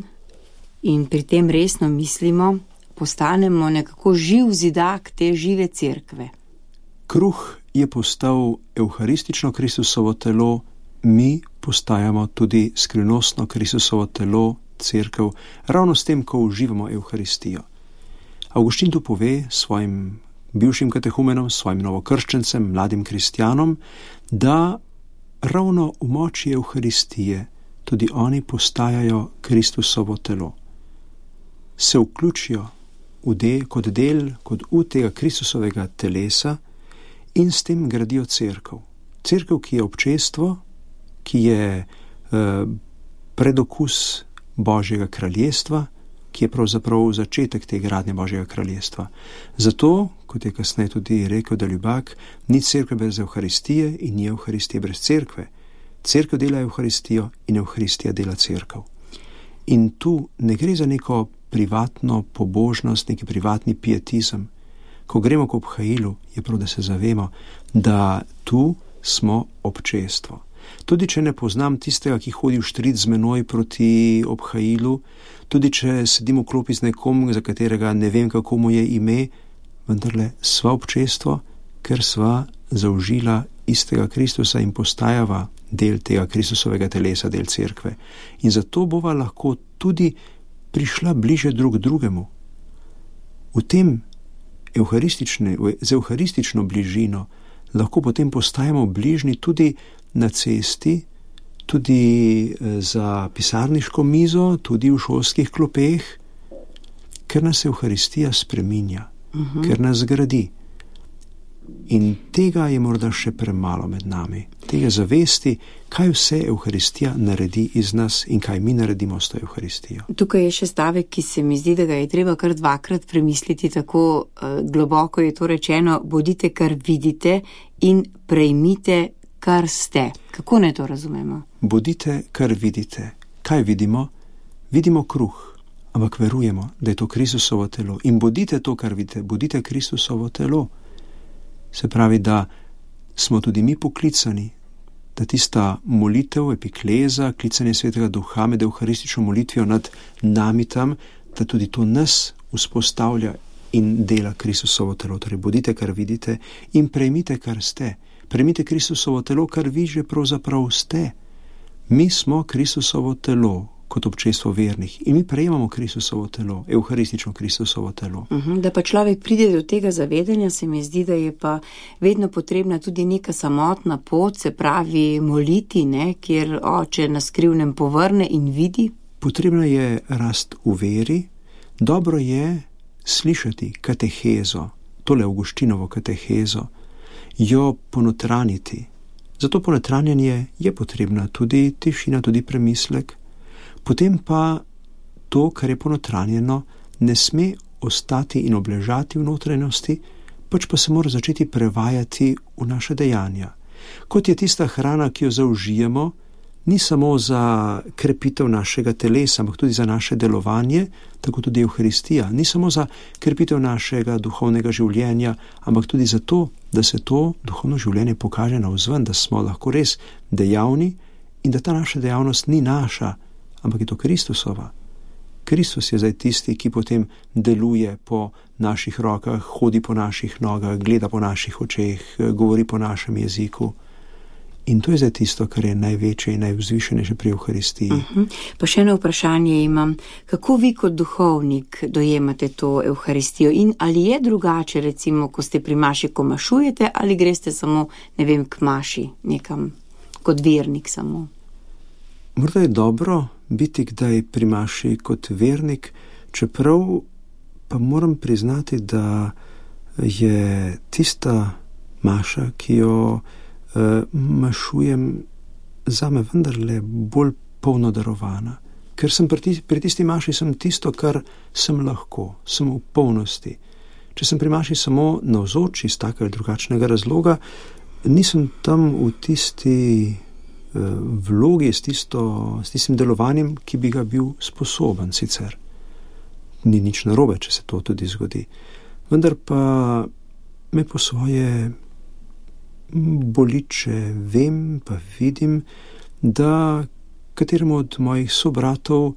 in pri tem resno mislimo, postanemo nekako živ zidak te žive cerkve. Kruh je postal evharistično Kristusovo telo, mi postajamo tudi skrivnostno Kristusovo telo, cerkev, ravno s tem, ko uživamo evharistijo. Avguštin tu pove svojim bivšim katehumenom, svojim novokrščencem, mladim kristjanom, da ravno v moči evharistije tudi oni postajajo Kristusovo telo. Se vključijo v del, kot del, kot v tega Kristusovega telesa in s tem gradijo cerkev. Cerkev, ki je občestvo, ki je eh, predokus Božjega kraljestva, ki je pravzaprav začetek te gradnje Božjega kraljestva. Zato, kot je kasneje tudi rekel Deljubak, ni cerkve brez evharistije in ni evharistije brez cerkve. Cerkev dela evharistijo in evharistija dela cerkev. In tu ne gre za neko privatno pobožnost, neki privatni pietizem. Ko gremo k obhajilu, je prav, da se zavemo, da tu smo občestvo. Tudi če ne poznam tistega, ki hodi v štrit z menoj proti obhajilu, tudi če sedim v klopi z nekom, za katerega ne vem, kako mu je ime, vendarle sva občestvo, ker sva zaužila istega Kristusa in postajava del tega Kristusovega telesa, del cerkve. In zato bova lahko tudi prišla bliže drug drugemu. V tem z evharistično bližino lahko potem postajamo bližni tudi na cesti, tudi za pisarniško mizo, tudi v šolskih klopeh, ker nas evharistija spreminja, uh-huh. ker nas gradi. In tega je morda še premalo med nami. Tega zavesti, kaj vse evharistija naredi iz nas in kaj mi naredimo s to evharistijo. Tukaj je še stavek, ki se mi zdi, da ga je treba kar dvakrat premisliti, tako uh, globoko je to rečeno: bodite, kar vidite, in prejmite, kar ste. Kako naj to razumemo? Bodite, kar vidite. Kaj vidimo? Vidimo kruh, ampak verujemo, da je to Kristusovo telo. In bodite to, kar vidite, bodite Kristusovo telo. Se pravi, da smo tudi mi poklicani, da tista molitev, epikleza, klicanje Svetega Duha med evharistično molitvijo nad nami tam, da tudi to nas vzpostavlja in dela Kristusovo telo. Torej, bodite, kar vidite, in prejmite, kar ste. Prejmite Kristusovo telo, kar vi že pravzaprav ste. Mi smo Kristusovo telo kot občestvo vernih in mi prejemamo Kristusovo telo, evharistično Kristusovo telo. Uh-huh, da pa človek pride do tega zavedanja, se mi zdi, da je pa vedno potrebna tudi neka samotna pot, se pravi moliti, ne, kjer oče na skrivnem povrne in vidi. Potrebna je rast v veri, dobro je slišati katehezo, tole Avguštinovo katehezo, jo ponotraniti. Zato ponotranjanje je potrebna tudi tišina, tudi premislek. Potem pa to, kar je ponotranjeno, ne sme ostati in obležati v notranjosti, pač pa se mora začeti prevajati v naše dejanja. Kot je tista hrana, ki jo zaužijemo, ni samo za krepitev našega telesa, ampak tudi za naše delovanje, tako tudi evharistija. Ni samo za krepitev našega duhovnega življenja, ampak tudi za to, da se to duhovno življenje pokaže navzven, da smo lahko res dejavni in da ta naša dejavnost ni naša, ampak je to Kristusova. Kristus je zdaj tisti, ki potem deluje po naših rokah, hodi po naših nogah, gleda po naših očeh, govori po našem jeziku. In to je zdaj tisto, kar je največje in najvzvišenejše pri evharistiji. Uh-huh. Pa še eno vprašanje imam. Kako vi kot duhovnik dojemate to evharistijo in ali je drugače, recimo, ko ste pri maši, ko mašujete, ali greste samo, ne vem, k maši nekam, kot vernik samo? Morda je dobro biti kdaj pri maši kot vernik, čeprav pa moram priznati, da je tista maša, ki jo uh, mašujem, zame vendarle bolj polno darovana. Ker sem pri, tis, pri tisti maši sem tisto, kar sem lahko, sem v polnosti. Če sem pri maši samo navzoč iz takega ali drugačnega razloga, nisem tam v tisti vlogi, s, tisto, s tistim delovanjem, ki bi ga bil sposoben sicer. Ni nič narobe, če se to tudi zgodi. Vendar pa me po svoje boliče vem, pa vidim, da kateremu od mojih sobratov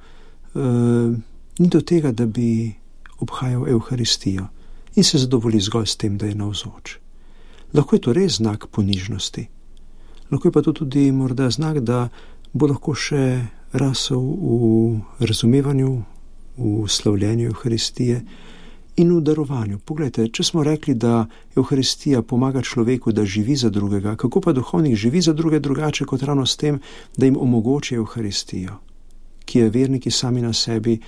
eh, ni do tega, da bi obhajal Evharistijo in se zadovolji zgolj s tem, da je navzoč. Lahko je to res znak ponižnosti. Lahko je pa to tudi morda znak, da bo lahko še rasel v razumevanju, v slavljenju Evharistije in v darovanju. Poglejte, če smo rekli, da Evharistija pomaga človeku, da živi za drugega, kako pa duhovnik živi za druge drugače kot ravno s tem, da jim omogoči Evharistijo, ki je verniki sami na sebi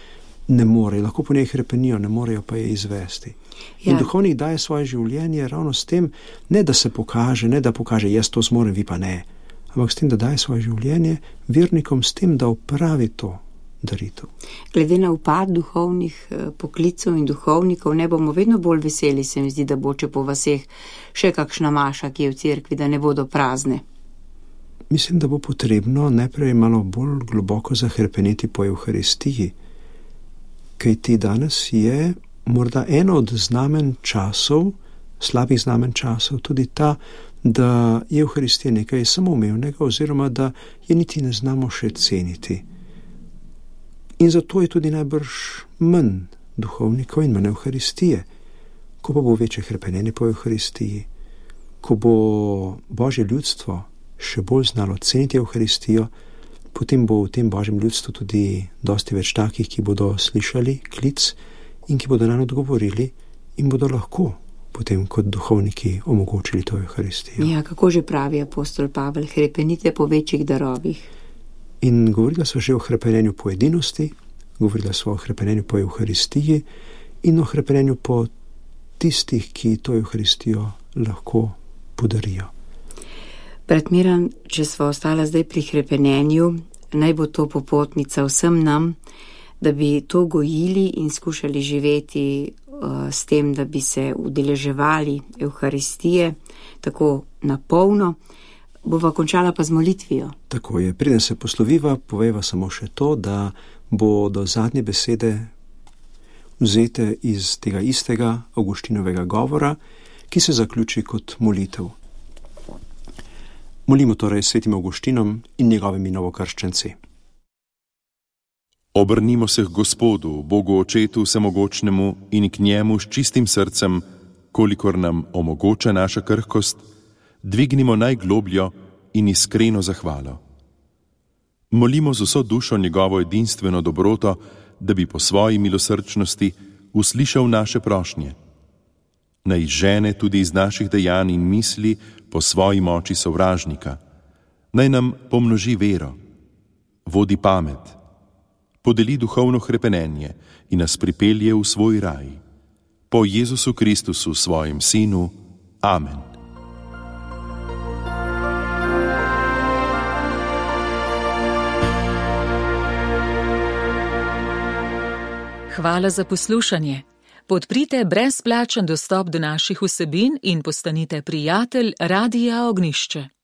ne morejo, lahko po njej hrepenijo, ne morejo pa je izvesti. Ja. In duhovnik daje svoje življenje ravno s tem, ne da se pokaže, ne da pokaže, jaz to zmorem, vi pa ne, ampak s tem, da daje svoje življenje vernikom, s tem, da opravi to daritev. Glede na upad duhovnih poklicov in duhovnikov, ne bomo vedno bolj veseli, se mi zdi, da bo če po vaseh še kakšna maša, ki je v cerkvi, da ne bodo prazne. Mislim, da bo potrebno najprej malo bolj globoko zahrepeneti po Evharistiji, kajti danes je morda eno od znamen časov, slabih znamen časov, tudi ta, da je Evharistija nekaj samoumevnega oziroma da je niti ne znamo še ceniti. In zato je tudi najbrž manj duhovnikov in manj Evharistije. Ko pa bo večje hrepenenje po Evharistiji, ko bo Božje ljudstvo še bolj znalo ceniti Evharistijo, potem bo v tem Božjem ljudstvu tudi dosti več takih, ki bodo slišali klic in ki bodo nanj odgovorili in bodo lahko potem kot duhovniki omogočili to Evharistijo. Ja, kako že pravi apostol Pavel, hrepenite po večjih darovih. In govorila so že o hrepenenju po edinosti, govorila so o hrepenenju po Evharistiji in o hrepenenju po tistih, ki to Evharistijo lahko podarijo. Brat Miran, če smo ostala zdaj pri hrepenenju, naj bo to popotnica vsem nam, da bi to gojili in skušali živeti uh, s tem, da bi se udeleževali Evharistije tako napolno. Bova končala pa z molitvijo. Tako je, preden se posloviva, poveva samo še to, da bo do zadnje besede vzete iz tega istega Avguštinovega govora, ki se zaključi kot molitev. Molimo torej svetim Avguštinom in njegovimi novokrščenci. Obrnimo se k Gospodu, Bogu Očetu Vsemogočnemu in k njemu s čistim srcem, kolikor nam omogoča naša krhkost, dvignimo najglobljo in iskreno zahvalo. Molimo z vso dušo njegovo edinstveno dobroto, da bi po svoji milosrčnosti uslišal naše prošnje. Naj izžene tudi iz naših dejanj in misli po svoji moči sovražnika. Naj nam pomnoži vero, vodi pamet, podeli duhovno hrepenenje in nas pripelje v svoj raj. Po Jezusu Kristusu, svojem Sinu. Amen. Hvala za poslušanje. Podprite brezplačen dostop do naših vsebin in postanite prijatelj Radia Ognjišče.